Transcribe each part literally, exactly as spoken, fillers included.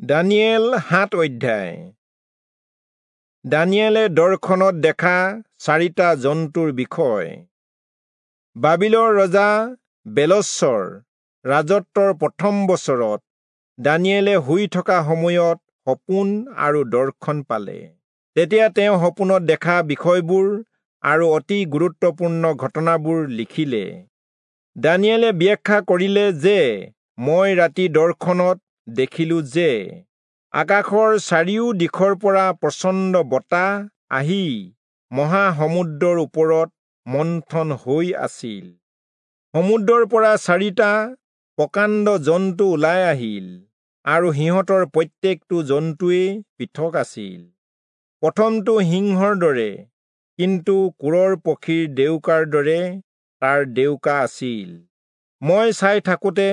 দানিয়েল সাত অধ্যায়। দানিয়েলে দৰ্শনত দেখা চাৰিটা জন্তুৰ বিষয়। বাবিলৰ ৰজা বেলচৰ ৰাজত্বৰ প্ৰথম বছৰত দানিয়েলে শুই থকা সময়ত সপোন আৰু দৰ্শন পালে। তেতিয়া তেওঁ সপোনত দেখা বিষয়বোৰ আৰু অতি গুৰুত্বপূৰ্ণ ঘটনাবোৰ লিখিলে। দানিয়েলে ব্যাখ্যা কৰিলে যে মই ৰাতি দৰ্শনত দেখিলো যে আকাশৰ চাৰিও দিশৰ পৰা প্ৰচণ্ড বতাহ আহি মহাসমুদ্ৰৰ ওপৰত মন্থন হৈ আছিল। সমুদ্ৰৰ পৰা চাৰিটা প্ৰকাণ্ড জন্তু ওলাই আহিল আৰু সিহঁতৰ প্ৰত্যেকটো জন্তুৱেই পৃথক আছিল। প্ৰথমটো সিংহৰ দৰে, কিন্তু কোৰৰ পক্ষীৰ ডেউকাৰ দৰে তাৰ ডেউকা আছিল। মই চাই থাকোঁতে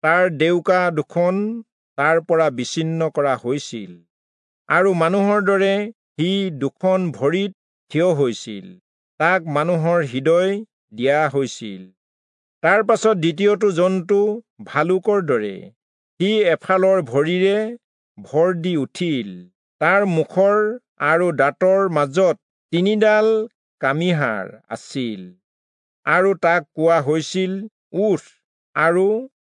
তাৰ ডেউকা দুখন তাৰ পৰা বিচ্ছিন্ন কৰা হৈছিল আৰু মানুহৰ দৰে সি দুখন ভৰিত থিয় হৈছিল। তাক মানুহৰ হৃদয় দিয়া হৈছিল। তাৰ পাছত দ্বিতীয়টো জন্তু ভালুকৰ দৰে, সি এফালৰ ভৰিৰে ভৰ দি উঠিল। তাৰ মুখৰ আৰু দাঁতৰ মাজত তিনিডাল কামিহাড় আছিল আৰু তাক কোৱা হৈছিল, উঠ আৰু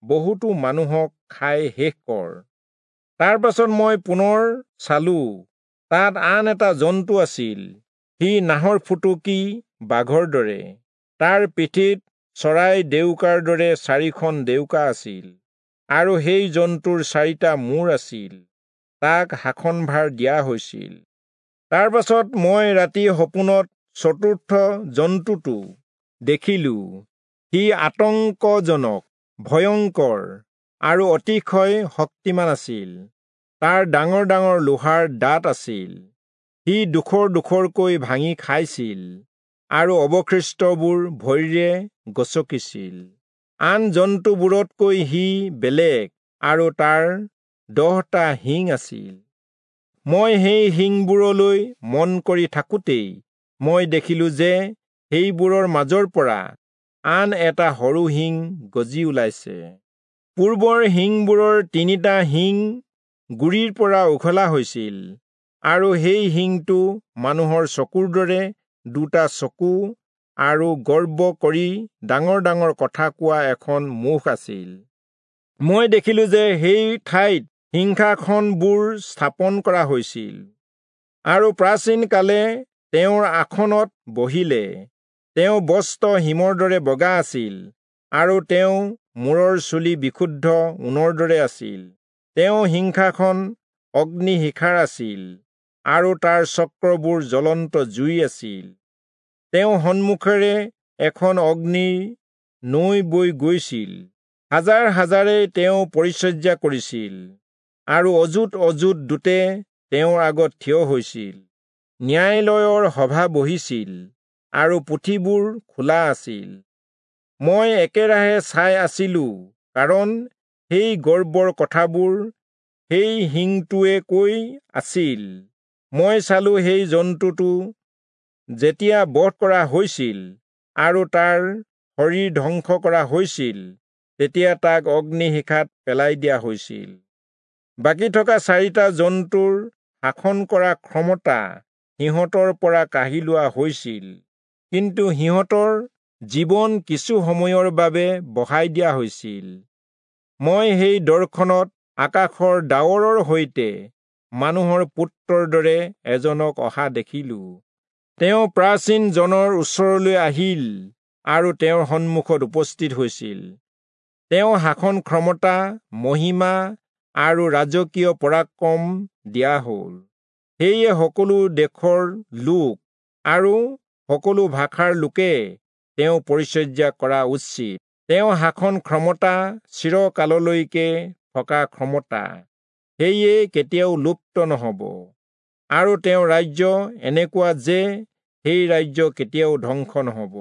বহুতো মানুহক খাই শেষ কৰ। তাৰ পাছত মই পুনৰ চালো, তাত আন এটা জন্তু আছিল। সি নাহৰফুটুকী বাঘৰ দৰে, তাৰ পিঠিত চৰাই ডেউকাৰ দৰে চাৰিখন ডেউকা আছিল আৰু সেই জন্তুৰ চাৰিটা মূৰ আছিল। তাক শাসনভাৰ দিয়া হৈছিল। তাৰ পাছত মই ৰাতি সপোনত চতুৰ্থ জন্তুটো দেখিলো। সি আতংকজনক, ভয়ংকৰ আৰু অতিশয় শক্তিমান আছিল। তাৰ ডাঙৰ ডাঙৰ লোহাৰ দাঁত আছিল। সি ডোখৰ ডোখৰকৈ ভাঙি খাইছিল আৰু অৱশিষ্টবোৰ ভৰিৰে গচকিছিল। আন জন্তুবোৰতকৈ সি বেলেগ আৰু তাৰ দহটা শিং আছিল। মই সেই শিংবোৰলৈ মন কৰি থাকোঁতেই মই দেখিলো যে সেইবোৰৰ মাজৰ পৰা আন এটা সৰু শিং গজি ওলাইছে। পূৰ্বৰ শিংবোৰৰ তিনিটা শিং গুৰিৰ পৰা উঘলা হৈছিল আৰু সেই শিংটো মানুহৰ চকুৰ দৰে দুটা চকু আৰু গৰ্ব কৰি ডাঙৰ ডাঙৰ কথা কোৱা এখন মুখ আছিল। মই দেখিলো যে সেই ঠাইত সিংহাসনবোৰ স্থাপন কৰা হৈছিল আৰু প্ৰাচীন কালে তেওঁৰ আসনত বহিলে। তেওঁ বস্ত্ৰ হিমৰ দৰে বগা আছিল আৰু তেওঁ মূৰৰ চুলি বিশুদ্ধ ঊণৰ দৰে আছিল। তেওঁ সিংহাসন অগ্নিশিখাৰ আছিল আৰু তাৰ চক্ৰবোৰ জ্বলন্ত জুই আছিল। তেওঁ সন্মুখেৰে এখন অগ্নিৰ নৈ বৈ গৈছিল। হাজাৰ হাজাৰে তেওঁ পৰিচৰ্যা কৰিছিল আৰু অযুত অযুত দূতে তেওঁৰ আগত থিয় হৈছিল। ন্যায়ালয়ৰ সভা বহিছিল আৰু পুথিবোৰ খোলা আছিল। মই একেৰাহে চাই আছিলো, কাৰণ সেই গৰ্বৰ কথাবোৰ সেই শিংটোৱে কৈ আছিল। মই চালো সেই জন্তুটো যেতিয়া বধ কৰা হৈছিল আৰু তাৰ শৰীৰ ধ্বংস কৰা হৈছিল, তেতিয়া তাক অগ্নিশিখাত পেলাই দিয়া হৈছিল। বাকী থকা চাৰিটা জন্তুৰ শাসন কৰা ক্ষমতা সিহঁতৰ পৰা কাঢ়ি লোৱা হৈছিল, কিন্তু সিহঁতৰ জীৱন কিছু সময়ৰ বাবে বঢ়াই দিয়া হৈছিল। মই সেই দৰ্শনত আকাশৰ ডাৱৰৰ সৈতে মানুহৰ পুত্ৰৰ দৰে এজনক অহা দেখিলো। তেওঁ প্ৰাচীন জনৰ ওচৰলৈ আহিল আৰু তেওঁৰ সন্মুখত উপস্থিত হৈছিল। তেওঁ শাসন ক্ষমতা, মহিমা আৰু ৰাজকীয় পৰাক্ৰম দিয়া হ'ল। সেয়ে সকলো দেশৰ লোক আৰু সকলো ভাষাৰ লোকে তেওঁ পৰিচৰ্যা কৰা উচিত। তেওঁ শাসন ক্ষমতা চিৰকাললৈকে থকা ক্ষমতা, সেয়ে কেতিয়াও লুপ্ত নহ'ব আৰু তেওঁৰ ৰাজ্য এনেকুৱা যে সেই ৰাজ্য কেতিয়াও ধ্বংস নহ'ব।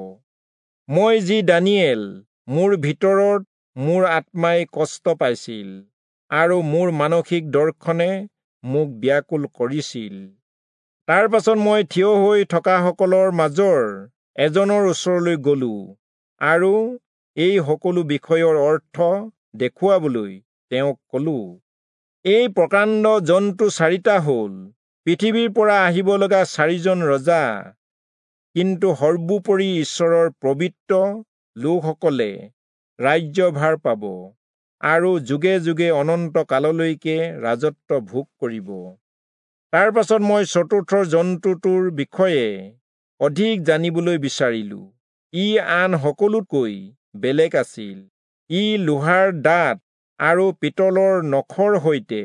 মই যি দানিয়েল, মোৰ ভিতৰত মোৰ আত্মাই কষ্ট পাইছিল আৰু মোৰ মানসিক দৰ্শনে মোক ব্যাকুল কৰিছিল। তাৰ পাছত মই থিয় হৈ থকাসকলৰ মাজৰ এজনৰ ওচৰলৈ গলো আৰু এই সকলো বিষয়ৰ অৰ্থ দেখুৱাবলৈ তেওঁক কলো। এই প্ৰকাণ্ড জন্তু চাৰিটা হ'ল পৃথিৱীৰ পৰা আহিব লগা চাৰিজন ৰজা, কিন্তু সৰ্বোপৰি ঈশ্বৰৰ পবিত্ৰ লোকসকলে ৰাজ্যভাৰ পাব আৰু যুগে যুগে অনন্ত কাললৈকে ৰাজত্ব ভোগ কৰিব। তাৰ পাছত মই চতুৰ্থ জন্তুটোৰ বিষয়ে অধিক জানিবলৈ বিচাৰিলো। ই আন সকলোতকৈ বেলেগ আছিল। ই লোহাৰ দাঁত আৰু পিতলৰ নখৰ সৈতে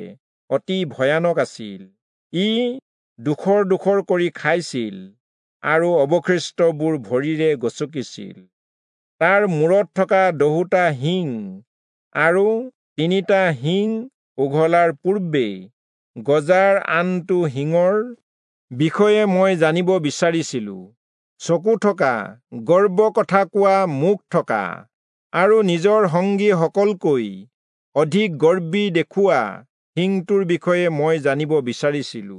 অতি ভয়ানক আছিল। ই ডোখৰ ডোখৰ কৰি খাইছিল আৰু অৱশিষ্টবোৰ ভৰিৰে গচকিছিল। তাৰ মূৰত থকা দহোটা শিং আৰু তিনিটা শিং উঘলাৰ পূৰ্বে গজাৰ আনটো শিঙৰ বিষয়ে মই জানিব বিচাৰিছিলো। চকু থকা, গৰ্ব কথা কোৱা মুখ থকা আৰু নিজৰ সংগীসকলকৈ অধিক গৰ্বী দেখুওৱা শিংটোৰ বিষয়ে মই জানিব বিচাৰিছিলো।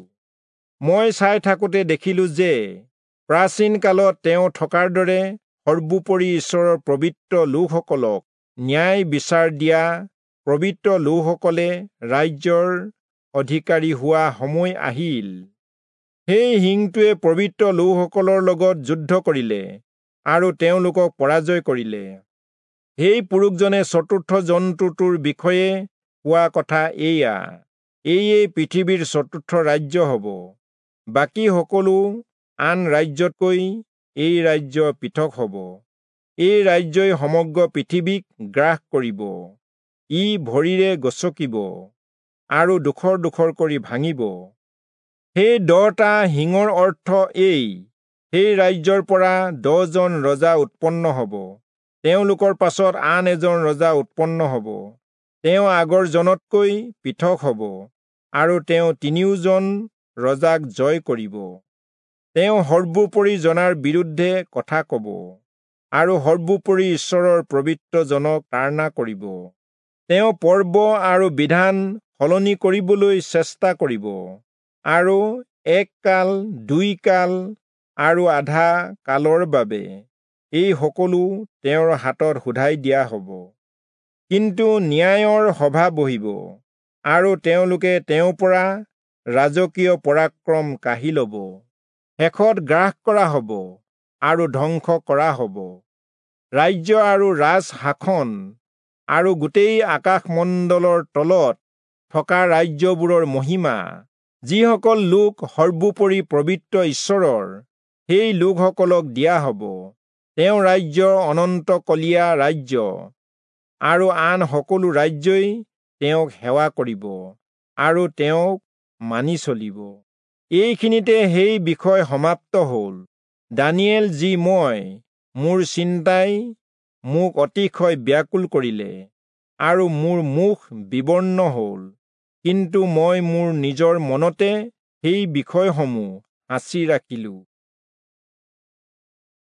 মই চাই থাকোঁতে দেখিলো যে প্ৰাচীন কালত তেওঁ থকাৰ দৰে সৰ্বোপৰি ঈশ্বৰৰ পবিত্ৰ লোকসকলক ন্যায় বিচাৰ দিয়া পবিত্ৰ লোকসকলে ৰাজ্যৰ অধিকাৰী হোৱা সময় আহিল। সেই শিংটোৱে পবিত্ৰ লোকসকলৰ লগত যুদ্ধ কৰিলে আৰু তেওঁলোকক পৰাজয় কৰিলে। সেই পুৰুষজনে চতুৰ্থ জন্তুটোৰ বিষয়ে কোৱা কথা এয়া, এয়ে পৃথিৱীৰ চতুৰ্থ ৰাজ্য হ'ব। বাকী সকলো আন ৰাজ্যতকৈ এই ৰাজ্য পৃথক হ'ব। এই ৰাজ্যই সমগ্ৰ পৃথিৱীক গ্ৰাস কৰিব। ই ভৰিৰে গচকিব আৰু ডোখৰ ডোখৰ কৰি ভাঙিব। সেই দহটা শিঙৰ অৰ্থ এই, সেই ৰাজ্যৰ পৰা দহজন ৰজা উৎপন্ন হ'ব। তেওঁলোকৰ পাছত আন এজন ৰজা উৎপন্ন হ'ব। তেওঁ আগৰ জনতকৈ পৃথক হ'ব আৰু তেওঁ তিনিওজন ৰজাক জয় কৰিব। তেওঁ সৰ্বোপৰি জনাৰ বিৰুদ্ধে কথা ক'ব আৰু সৰ্বোপৰি ঈশ্বৰৰ পবিত্ৰজনক তাড়না কৰিব। তেওঁ পৰ্ব আৰু বিধান সলনি কৰিবলৈ চেষ্টা কৰিব আৰু এক কাল, দুই কাল আৰু আধা কালৰ বাবে এই সকলো তেওঁৰ হাতত শোধাই দিয়া হ'ব। কিন্তু ন্যায়ৰ সভা বহিব আৰু তেওঁলোকে তেওঁৰ পৰা ৰাজকীয় পৰাক্ৰম কাঢ়ি ল'ব। শেষত গ্ৰাস কৰা হ'ব আৰু ধ্বংস কৰা হ'ব। ৰাজ্য আৰু ৰাজ শাসন আৰু গোটেই আকাশমণ্ডলৰ তলত থকা ৰাজ্যবোৰৰ মহিমা, যিসকল লোক সৰ্বোপৰি পবিত্ৰ ঈশ্বৰৰ, সেই লোকসকলক দিয়া হ'ব। তেওঁ ৰাজ্য অনন্তকলীয়া ৰাজ্য আৰু আন সকলো ৰাজ্যই তেওঁক সেৱা কৰিব আৰু তেওঁক মানি চলিব। এইখিনিতে সেই বিষয় সমাপ্ত হ'ল। দানিয়েল যি মই, মোৰ চিন্তাই মোক অতিশয় ব্যাকুল কৰিলে আৰু মোৰ মুখ বিবৰ্ণ হ'ল, কিন্তু মই মোৰ নিজৰ মনতে সেই বিষয়সমূহ সাঁচি ৰাখিলোঁ।